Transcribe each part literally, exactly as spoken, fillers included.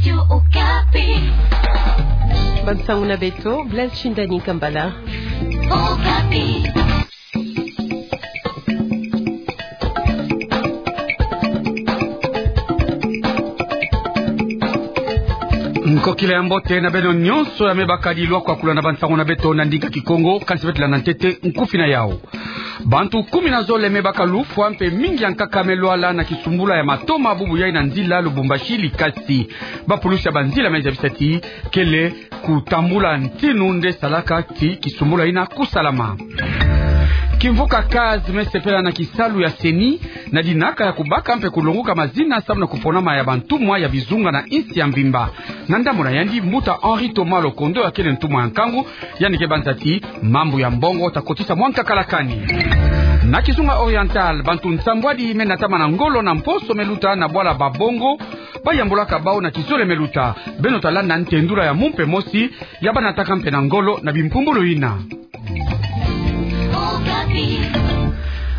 Radio Okapi. Bansangu na beto, Blaise Shindani Kambala. Okapi. Nkokila ya mbote na beno nyonso ya me bakadi lwakwa kulanda bansangu na beto na ndinga Kikongo, kansi beto landa ntete nkufi na yau. Bantu kumi na zole me baka lufwa mpe mingi ya nkaka me lwala na kisumbula ya matoma bubu yai na nzila Lubumbashi Likasi. Bapulusi ya banzila me zabisa ti kele kutambula ntinu nde salaka ti kisumbula yina kusalama. Kimvuka CAS me sepela na kisalu ya CENI na dinaka ya kubaka mpe kulonguka mazina samu na kuponama ya bantumwa ya bizunga na insi ya mvimba. Na ndambu na yandi, mbuta Henri Thomas Lokondo ya kele ntumwa ya nkangu, yandi ke banza ti mambu ya mbongo ta kotisa mwa nkakalakani. Na kizunga oriental, bantu nsambwadi me natama na ngolo na mposo me luta na bwala Babongo, bayambulaka bau na kizole me luta. Beno ta landa ntendula ya mumpe mosi ya banataka mpe na ngolo na bimpumbulu yina.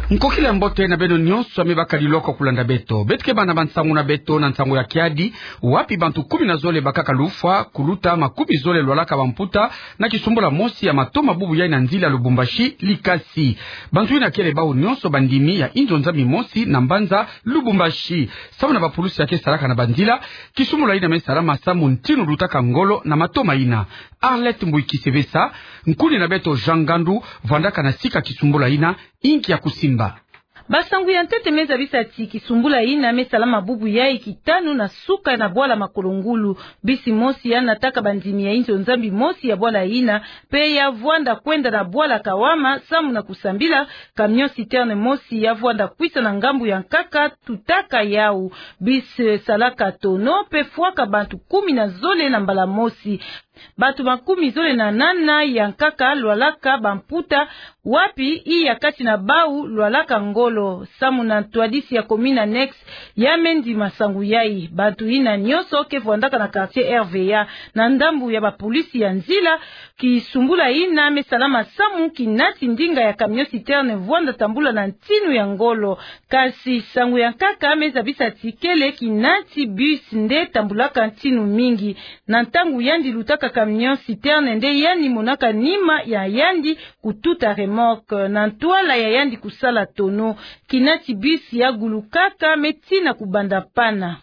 Nkokila ya mbote na beno nyonso ya me bakadi lwakwa kulanda beto. Beto ke banda bansangu na beto na nsangu ya kiadi, wapi bantu kumi na zole bakaka lufwa, kuluta makumi zole lwalaka bamputa na kisumbula mosi ya matoma bubu yai na nzila Lubumbashi Likasi. Bantu yina kele bau nyonso bandimi ya inzo nzambi mosi na mbanza Lubumbashi. Samu na bapulusi ya ke salaka na banzila, kisumbula yina me salama samu ntinu lutaka ngolo na matoma yina. Arlette Mbuiki Sevesa, nkuni na beto Jean Ngandu, vwandaka na sika kisumbula yina, inki ya kusimba. Bansangu ya ntete me zabisa ti kisumbula yina me salama bubu yai kitanu na suka na bwala Makolo Ngulu. Bisi mosi ya nataka bandimi ya inzo nzambi mosi ya bwala yina, mpe ya vwanda kwenda na bwala Kawama samu na kusambila. Camion citerne mosi ya vwanda kwisa na ngambu ya nkaka tutaka yau. Bisi, eh, salaka tono mpe fwaka bantu kumi na zole na mbala mosi. Bantu makumi zole na nana ya nkaka lwalaka bamputa, wapi iya kati na bau lwalaka ngolo. Samu na ntwadisi ya commune annexe ya me ndima nsangu yai. Bantu yina nyonso ke vwandaka na quartier R V A. Na ndambu ya bapulusi ya nzila, kisumbula yina me salama samu kinati ndinga ya camion citerne vwanda tambula na ntinu ya ngolo. Kasi sangu ya nkaka me zabisa ti kele kinati bus nde tambulaka ntinu mingi. Na ntangu yandi lutaka camion citerne nde yandi monaka nima ya yandi kututa remorque. Na ntwala ya yandi kusala tono, kinati bus ya gulukaka me tina kubanda pana.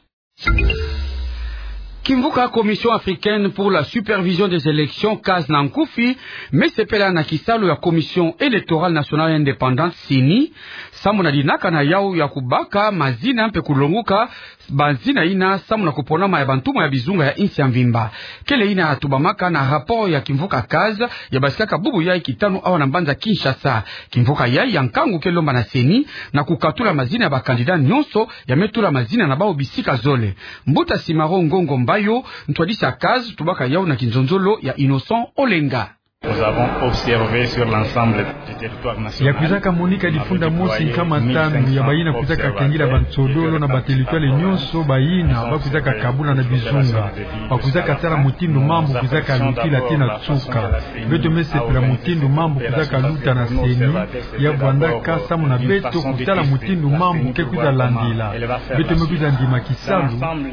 Kimvuka Commission africaine pour la supervision des élections, CAS na nkufi, me sepela na kisalu ya Commission électorale nationale indépendante, CENI, samu na dinaka na yau ya kubaka mazina mpe kulonguka bazina yina samu na kuponama ya bantumwa ya bizunga ya insi ya mvimba. Kele yina tubamaka na rapport ya kimvuka CAS ya basikaka bubu yai kitanu awa na mbanza Kinshasa. Kimvuka yai ya nkangu ke lomba na CENI na kukatula mazina ya ba candidats nyonso ya me tula mazina na bau bisika zole. Mbuta Simaro Ngongo Mbayo, ntwadisi ya CAS, tubaka yau na kinzonzolo ya Innocent Olenga. Nous avons observé sur l'ensemble du territoire national. Ya kwizaka monika difunda mosi nkama tanu ya bayina kwizaka kengila bansodolo na bateritware nyonso, bayina ba kwizaka kabula na bizunga. Ba kwizaka tala mutindu mambu kwizaka lutila tii na nsuka. Beto me sepela mutindu mambu kwizaka luta na CENI, ya vwandaka samu na beto kutala mutindu mambu ke kwiza landila. Beto me kwiza ndima kisalu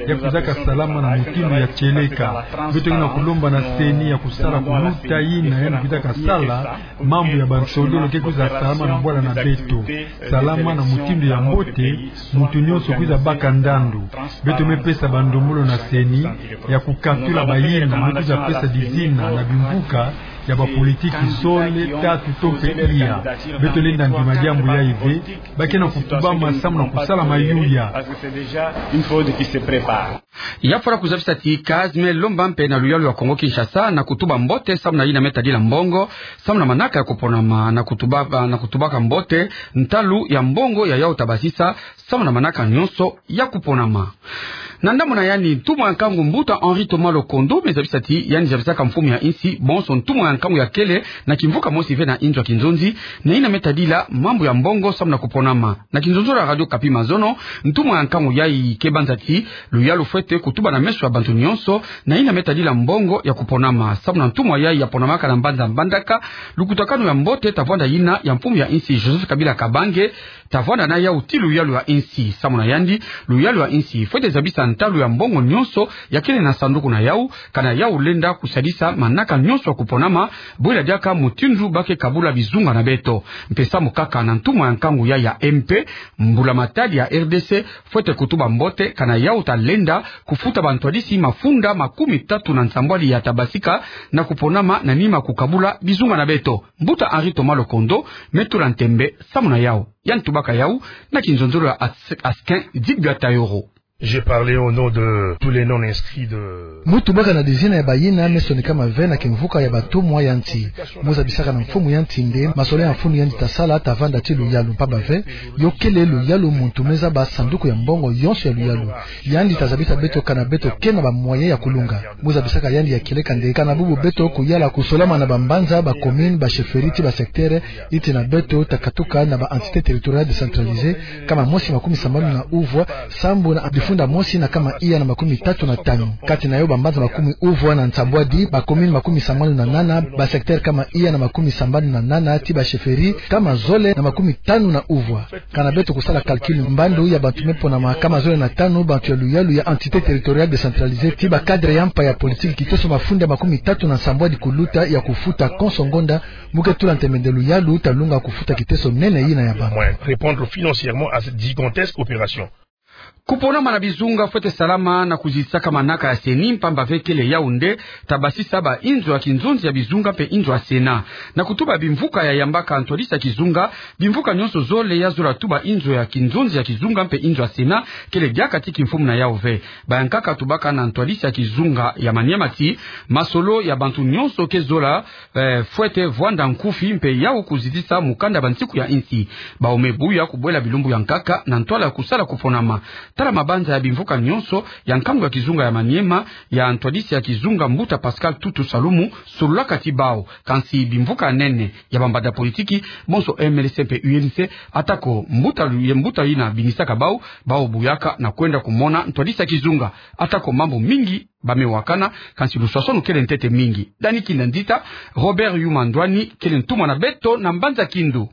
ya kwizaka salama na mutindu ya tieleka. Beto ke na kulomba na CENI ya kusala kuluta yina yandi kwizaka sala, mambu ya bansodolo ke kwiza salama na bwala na beto. Salama na mutindu ya mbote, muntu nyonso kwiza baka ndandu. Beto me pesa bandombolo na CENI ya kukatula bayina me kwiza pesa dizina na bimvuka ya bapolitiki zole, tatu to mpe iya. Beto lenda ndima diambu yai ve, ba ke na kutubama samu na kusala mayuya. Une fraude qui se prépare. Ya fwana kuzabisa ti CAS me lomba mpe na luyalu ya Kongo Kinshasa na kutuba mbote samu na yina me tadila mbongo, samu na manaka ya kuponama, na kutuba, na kutubaka mbote ntalu ya mbongo ya yau ta basisa samu na manaka nyonso ya kuponama. Na ndambu na yandi, ntumwa ya nkangu mbuta Henri Thomas Lokondo me zabisa ti yandi zabisaka mfumu ya insi, bonso ntumwa ya Nkangu ya kele na kimvuka mosi ve na inzo ya kinzonzi, na yina me tadila mambu ya mbongo samu na kuponama. Na kinzonzolo ya Radio Okapi mazono, ntumwa ya nkangu yayi ke banza ti luyalu fwete kutuba na meso ya bantu nyonso, na yina me tadila mbongo ya kuponama. Samu na ntumwa yayi ya ponamaka na mbanza Mbandaka, lukutakanu ya mbote ta vwanda yina ya mfumu ya insi Joseph Kabila Kabange, ta vwanda na yawu ti luyalu ya insi. Samu na yandi, luyalu ya insi fwete zabisa ntalu ya mbongo nyonso ya kele na sanduku na yawu, kana yawu lenda kusadisa manaka nyonso ya kuponama, bwela diaka mutindu ba ke kabula bizunga na beto. Mpe samu kaka na ntumwa ya nkangu yayi ya M P, mbula matadi ya R D C fwete kutuba mbote kana yawu ta lenda kufuta bantwadisi mafunda makumi tatu na nsambwadi ya ta basika na kuponama na nima kukabula bizunga na beto. Mbuta Henri Thomas Lokondo me tula ntembe samu na yawu. Yandi tubaka yawu na kinzonzolo ya As-, Askin Digbia Tayoro. J'ai parlé au nom de tous les non-inscrits de... Mu tubaka na dizina ya bayina me sonikama ve na kimvuka ya bantumwa ya nsi. Mu zabisaka na mfumu ya nsi nde masolo ya mfunu yandi ta sala ta vanda ti luyalu, mpamba ve yo kele luyalu muntu me zaba sanduku ya mbongo yonso ya luyalu. Yandi ta zabisa beto kana beto ke na ba moyens ya kulunga. Mu zabisaka yandi ya kieleka nde kana bubu beto kuyala kusolama na bambanza, ba communes, ba chefferies ti ba secteurs, yi tina beto ta katuka na ba entités territoriales décentralisées, kama mosi makumi sambanu na uvwa, sambu na bifunda mosi na kama iya na makumi tatu na tanu. Kati na yo bambanza makumi uvwa na nsambwadi, ba communes makumi sambanu na nana, ba secteurs kama iya na makumi sambanu na nana, ti ba chefferies kama zole na makumi tanu na uvwa. Kana beto kusala calcul, mbandu ya bantu me ponama kama zole na tanu bantu ya luyalu ya entités territoriales décentralisées ti ba cadres ya mpa ya politique, kiteso mafunda makumi tatu na nsambwadi kuluta ya kufuta konso ngonda. Mu ke tula ntembe nde luyalu ta lunga kufuta kiteso nene yina ya bantu. Moins répondre financièrement à cette gigantesque opération. Kuponama na bizunga fwete salama na kuzidisaka manaka ya CENI, mpamba ve kele yawu nde ta basisa ba inzo ya kinzonzi ya bizunga mpe inzo ya Sénat. Na kutuba bimvuka ya yambaka ntwadisi ya kizunga, bimvuka nyonso zole ya zola tuba inzo ya kinzonzi ya kizunga mpe inzo ya Sénat kele diaka ti kimfumu na yawu ve. Bayankaka tubaka na ntwadisi ya kizunga ya Maniema ti masolo ya bantu nyonso ke zola, eh, fwete vwanda nkufi mpe yawu kuzidisa mukanda ya bansiku ya insi. Bawu me buya kubwela bilumbu ya nkaka na ntwala ya kusala kuponama. Tala mabanza ya bimvuka nyonso ya nkangu ya kizunga ya Maniema ya ntwadisi ya kizunga mbuta Pascal Tutu Salumu sololaka ti bawu. Kansi bimvuka ya nene ya bambanda politiki, bonso M L C mpe U N C, atako mbuta lu-, ye mbuta yina binisaka bawu, bawu buyaka na kwenda kumona ntwadisi ya kizunga. Atako mambu mingi ba me wakana, kansi luswaswanu kele ntete mingi. Dani Kinda Nzita, Robert Yuma Ndwani kele ntumwa na beto na mbanza Kindu.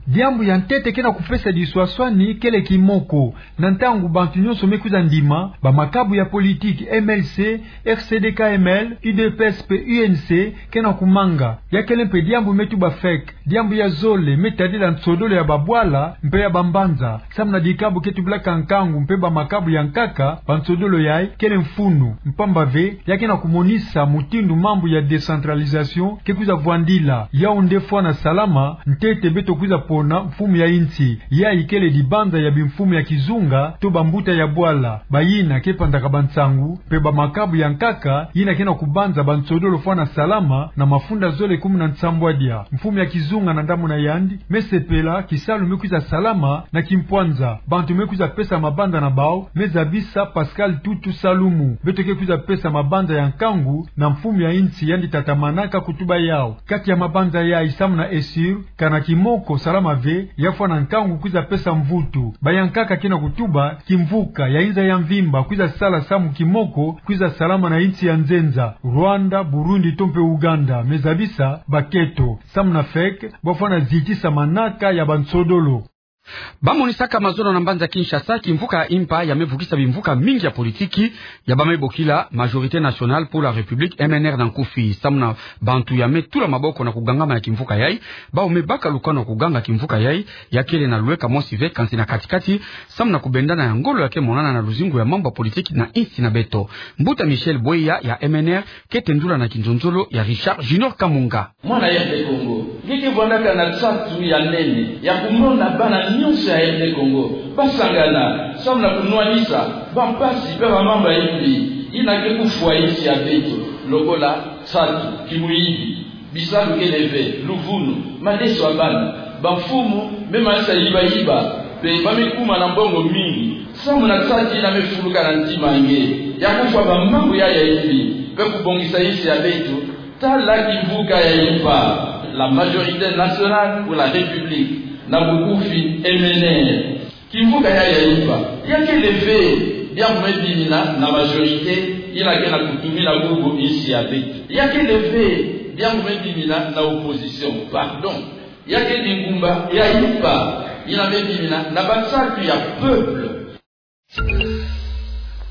Diambu ya ntete ke na kupesa diswaswani kele kimoko. Na ntangu bantu nyonso me kwiza ndima, bamakabu ya politiki M L C, R C D K M L, U D P S mpe U N C ke na kumanga. Ya kele mpe diambu me tuba fake. Diambu ya zole me tadila nsodolo ya babwala mpe ya bambanza. Samu na dikabu ke tubilaka nkangu mpe bamakabu ya nkaka, bansodolo yayi kele mfunu. Mpamba ve, ya ke na kumonisa mutindu mambu ya décentralisation ke kwiza vwandila. Yawu nde fwana salama, ntete beto kwiza pona mfumu ya insi. Yayi kele dibanza ya bimfumu ya kizunga, to bambuta ya bwala. Bayina ke panzaka bansangu, mpe bamakabu ya nkaka, yina ke na kubanza bansodolo fwana salama, na mafunda zole kumi na nsambwadia. Mfumu ya kizunga na ndambu na yandi me sepela kisalu me kwiza salama na kimpwanza. Bantu me kwiza pesa mabanza na bawu, me zabisa Pascal Tutu Salumu. Beto ke kwiza pesa mabanza ya nkangu na mfumu ya insi yandi tatamanaka kutuba yawu. Kati ya mabanza yayi samu na Essure, kana kimoko salama ve, ya fwana nkangu kwiza pesa mvutu. Bayankaka ke na kutuba, kimvuka ya inza ya mvimba kwiza sala samu kimoko kwiza salama na insi ya nzenza, Rwanda, Burundi to mpe Uganda, me zabisa baketo, samu na fake, bwa fwana zitisa manaka ya bansodolo. Ba monisaka mazono na mbanza Kinshasa, kimvuka ya impa ya me vukisa bimvuka mingi ya politiki, ya ba me bokila Majorité Nationale pour la République, M N R na nkufi. Samu na bantu ya me tula maboko na kugangama ya kimvuka yayi, bawu me baka lukanu ya kuganga kimvuka yayi, ya kele na lweka mosi ve kansi na kati-kati, samu na kubendana ya ngolo ya ke monana na luzingu ya mambu ya politiki na insi na beto. Mbuta Michel Bweya ya M N R ke tendula na kinzonzolo ya Richard Junior Kamunga. Mwana R D Congo, nge ke vwandaka na nsatu ya nene ya kumona bana nyonso ya R D Congo ba sangana, samu na kunwanisa bampasi mpe bamambu ya imbi yina ke kufwa insi ya beto, lokola nsatu, kimuyibi, bisalu kele ve, luvunu, madeso ya bana, bamfumu me manisa yiba-yiba, mpe ba me kuma na mbongo mingi, samu na nsatu yina me fuluka na ntima ya nge, ya kufwa bamambu yayi ya imbi, mpe kubongisa insi ya beto. Tala kimvuka ya impa, la majorité nationale pour la République, na bukufi M N R. Kimvuka ya ya impa, ya kele ve bia ngu me bimina na majorité, ina ke na kutumi na bubu insi ya beto. Ya kele ve bia ngu me bimina na opposition, pardon. Ya ke bingumba ya impa, ina me bimina na bansatu ya peuple.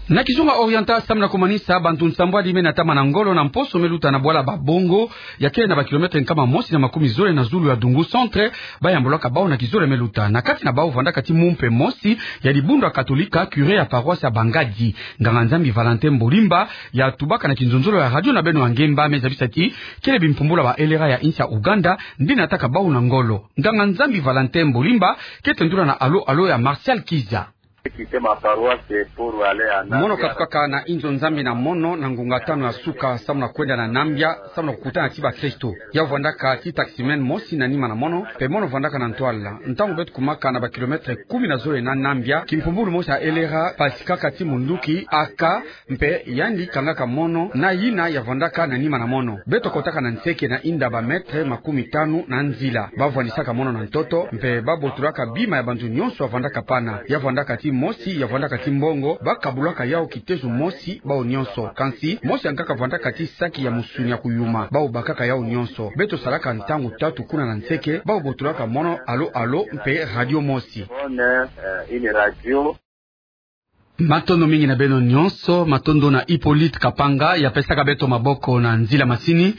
Na kizunga Oriental, samu na kumanisa, bantu nsambwadi me na tama na ngolo na mposo me luta na bwala Babongo, ya kele na ba kilomètre nkama mosi na makumi zole na zulu ya Dungu Centre, ba yambulaka bau na kizole me luta. Na kati na bau vandaka ti mumpe mosi ya dibundu ya Katolika, curé ya paroisse ya Bangadi, nganga-Nzambi Valentin Mbolimba, ya tubaka na kinzonzolo ya radio na beno ya ngemba, me zabisa ti kele bimpumbulu ya ba L R A ya insi ya Ouganda nde nataka bau na ngolo. Nganga-Nzambi Valentin Mbolimba kete ndula na alo alo ya Martial Kiza. Mono katukaka na inzo Nzambi na mono na ngunga tanu ya suka, samu na kwenda na Nambia, samu na kukutana ti bakristo. Ya vandaka ti taximan mosi na nima na mono, mpe mono vandaka na ntwala. Ntangu beto kumaka na ba kilomètre kumi na zole na Nambia, kimpumbulu mosi ya L R A pasikaka ti munduki, aka, mpe yandi kangaka mono na yina ya vandaka na nima na mono. Beto kotaka na nseke na inda ba mètre makumi tanu na nzila. Ba vandisaka mono na ntoto, mpe ba botulaka bima ya bantu nyonso ya vandaka pana. Ya vandaka ti mosi, ya vandaka ti mbongo, ba kabulaka yau kitezo mosi, bau nyonso. Kansi, mosi yankaka vandaka ti saki ya musuni ya kuyuma. Bau bakaka yau nyonso. Beto salaka ntangu tatu kuna na nseke, bau botulaka mono alo alo mpe radio mosi. Matondo mingi na beno nyonso, matondo na Hippolyte Kapanga, ya pesaka beto maboko na nzila masini.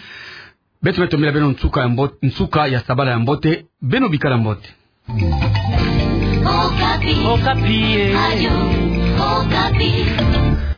Beto me tombela beno nsuka ya mbo-, nsuka ya sabala ya mbote, beno bikala mbote. Okapi. Okapi, eh. Radio Okapi.